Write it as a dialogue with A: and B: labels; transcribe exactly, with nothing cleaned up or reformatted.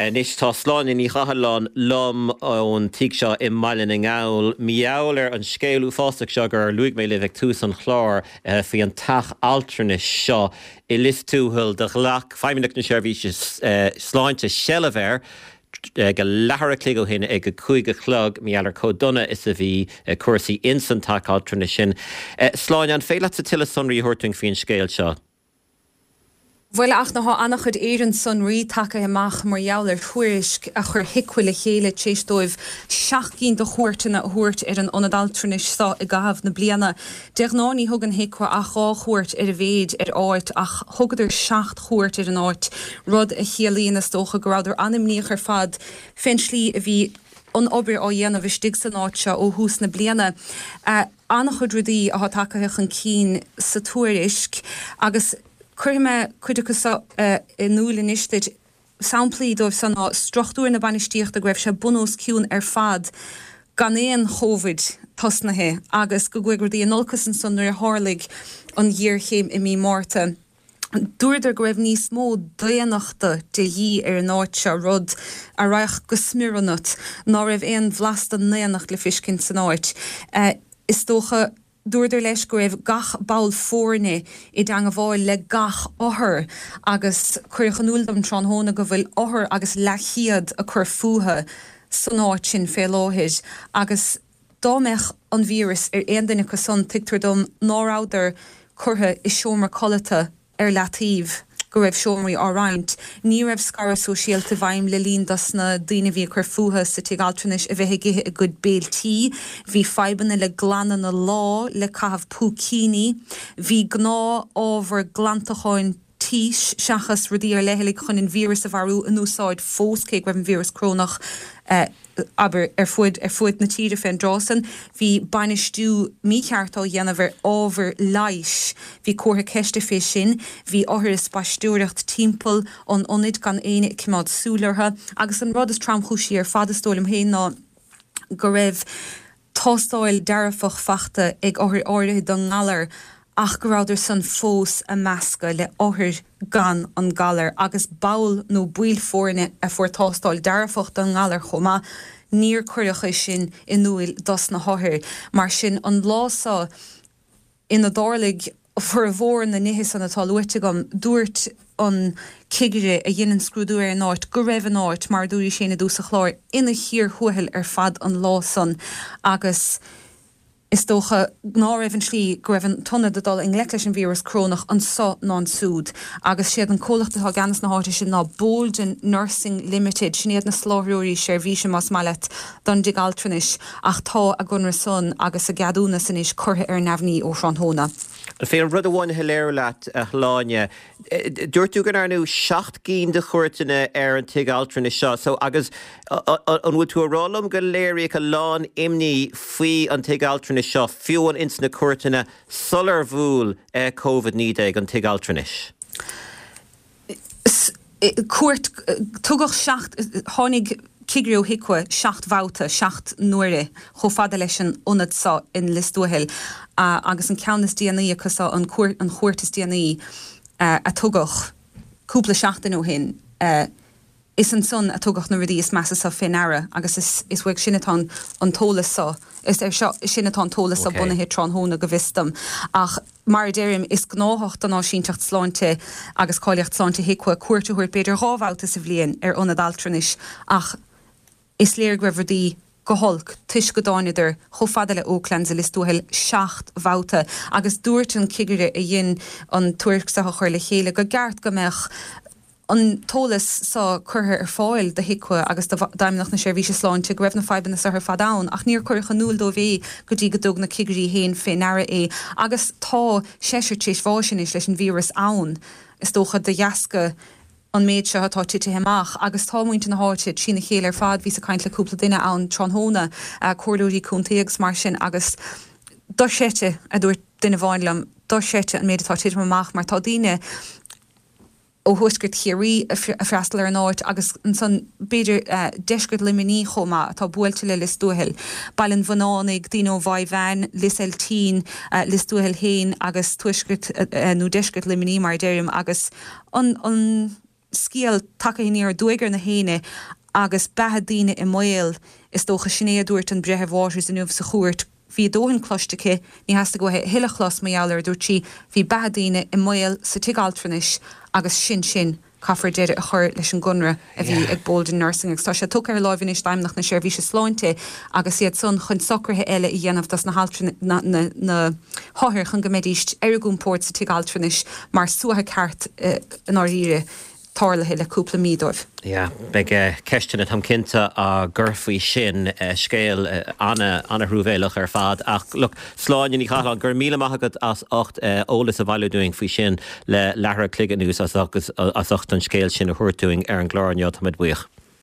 A: Anois tá Sláine Ní Chathalláin liom ón tigh seo i mBaile na nGall mar gheall ar an scéal uafásach seo gur luaigh mé libh ag tús an chláir eh, faoi an teach altranais seo i Lios Tuathail do ghlac Feidhmeannacht na Seirbhíse eh, Sláinte seilbh air go leathuair a chloig ó shin ag a cúig a chlog mar gheall ar chomh dona is a bhí eh, cúrsaí insan teach altranais sin. Sláine an féidir leat tuilleadh sonraí a thabhairt faoin scéal seo.
B: Bhuel ach tá an-chuid éan sonraí tagtha amach mar gheall ar thuairisc a chuir HIQA le chéile tar éis dóibh seacht gcinn de chuairteanna a thabhairt ar an ionad altranais seo i gcaitheamh na bliana. De ghnáth ní thugann HIQA ach dhá chuairt ar a mhéad ar áit ach thugadar seacht chuairt ar an áit rud a chiallaíonn is dócha go rabhadar an-imníoch ar fad fén slí a bhí an obair á dhéanamh istigh san áit seo ó thús na bliana. Uh, an-chuid rudaí atá tagtha chun cinn sa tuairisc agus Cuirfidh mé cuid acu in iúl anois duit samplaí dóibh san ná struchtúr na bainistíochta go raibh sé bun os cionn ar fad gan aon Covid tosnaithe agus go gcuaigh rudaí in olcas ansan nuair a tharlaigh an ghéarchéim i mí Márta. Dúradar go raibh níos mó daonnachta de dhíth ar an áit seo rud a rachadh go smior ionat ná raibh aon bhlas den ndaonnacht le feiscint san áit. Uh, is dócha Dúradar leis go raibh gach ball foirne i dteagmháil le gach othar agus cuireadh in iúl dom tráthnóna go bhfuil othar agus leathchéad ag cur fúthu san áit sin fé láthair agus dá mbeadh an víreas ar aon duine acu san tuigtear dom ná rabhadar curtha i seomra codlata ar leataobh go raibh seomraí á roinnt. Ní raibh scaradh sóisialta i bhfeidhm le linn dos na daoine bhí ag cur fúthu sa tigh altranais a bheith ag ithe a gcuid béiltí, bhí fadhbanna le glanadh na lá le caitheamh púicíní, bhí gnáth-ábhar glantacháin tís seachas rudaí ar leithligh chun an víreas a mharú in úsáid fós cé go raibh an víreas corónach eh, abair ar fud ar fud na tíre fén dtráth san, bhí bainistiú mícheart á dhéanamh ar ábhar leighis, bhí comhartha ceiste fé sin, bhí othair ag spaisteoireacht timpeall an ionaid gan éinne ag coimeád súil orthu, agus an rud is tromchúisí ar fad is dóigh liom féin ná go raibh tástáil dearfach fachta ag othair áirithe don ngalar ach go rabhadar san fós á meascadh le othair gan an galar agus ball nó baill foirne a fuair tástáil dearfach don ngalar chomh maith, níor cuireadh é sin in iúl dos na hothair. Mar sin an lá seo ina dtarlaigh formhór na nithe san atá luaite agam, dúirt an cigire a dhein an scrúdú ar an áit go raibh an áit, mar a dúraís féin i dtús an chláir, ina chíor thuathail ar fad an lá san agus Is dócha ná raibh an tslí go raibh an t-ionad ag dul i ngleic leis an víreas corónach anso ná ansúd agus siad an comhlacht atá i gceannas na háite sin ná Bolden Nursing Limited, sin iad na soláthróirí seirbhíse más maith leat don dtigh altranais ach tá a gconradh san agus a gceadúnas anois curtha ar neamhní ó thráthnóna.
A: An féidir rud amháin a shoiléiriú leat, a Shláine? Dúirt tú go ndearnadh seacht gcinn de chuairteanna ar an tigh altranais seo, so agus an bhfuil tú a rá liom go léiríodh a lán imní faoi an tigh altranais seo, fiú amháin ins na cuairteanna sular bhuail Covid naoi déag an tigh altranais?
B: Cuairt, tugadh seacht, tháinig cigire ó HIQA seacht mbabhta, seacht n-uaire, chomh fada leis an ionad seo in Lios Tuathail agus an ceann is déanaí acu seo, an chuairt is déanaí a tugadh cúpla seachtain ó shin, is ansan a tugadh na rudaí is measa seo fé ndeara agus is uaidh sin atá an t-eolas seo, is air sin atá an t-eolas seo bunaithe tráthnóna go bhfios dom. Ach mar a deirim, is gnáthach don Áisínteacht Sláinte agus Cáilíocht Sláinte HIQA cuairt a thabhairt b'fhéidir dhá bhabhta sa bhliain ar ionad altranais ach is léir go raibh rudaí go holc toisc go dtáinadar chomh fada le Oaklands i Lios Tuathail seacht mbabhta agus dúirt an cigire a dhein an tuairisc seo a chur le chéile go gceart go mbeadh an t-eolas seo curtha ar fáil do HIQA agus d'Fheidhmeannacht na Seirbhíse Sláinte go raibh na fadhbanna seo ar fad ann ach níor cuireadh in iúl dóibh é go dtí go dtug na cigirí féin fé ndeara é agus tá seisear tar éis bháis anois leis an víreas ann is dócha de dheasca an méid seo atá titithe amach agus tá muintir na háite trína chéile ar fad, bhíos ag caint le cúpla duine ann tráthnóna, comhairleoirí contae agus mar sin agus dochreidte, a dúirt duine amháin liom, dochreidte an méid atá ag titim amach mar tá daoine ó thuaisceart Chiarraí ag freastal ar an áit agus ansan b'fhéidir deisceart Luimnigh chomh maith atá buailte le Lios Tuathail, Baile an Bhuannánaigh, daoine ó Mhaigh Mheáin, Lios Eiltín, Lios Tuathail féin agus tuaisceart nó deisceart Luimnigh mar a deirim agus an an scéal tagtha aniar aduaidh ar na héinne agus beatha daoine i mbaol, is dócha. Sin é a dúirt an Breitheamh Waters inniu sa chúirt. Bhí a dóthain cloiste aici, ní theastaigh uaithi a thuilleadh a chlos mar gheall air, a dúirt sí. Bhí beatha daoine i mbaol sa tigh altranais agus sin sin. Caithfear deireadh a chur leis an gconradh a bhí ag Bolden Nursing agus tá sé tugtha ar láimh anois d'Fheidhmeannacht na Seirbhíse Sláinte agus iad san chun socruithe eile a dhéanamh dos na na na hothair chun go mbeidís ar a gcompord sa tigh altranais mar suaitheadh ceart i ndáiríre tarlaithe le cúpla mí dóibh.
A: Yeah, beidh ceisteanna, táim cinnte, á gcur faoi sin. Scéal ana-thruamhéileach ar fad. Ach look, Sláine Ní Chathalláin, go raibh míle maith agat as ucht eolas a bhailiú dúinn faoi sin le leathuair a chloig anuas agus as ucht an scéal sin a thabhairt dúinn ar an gclár inniu. Táimid buíoch.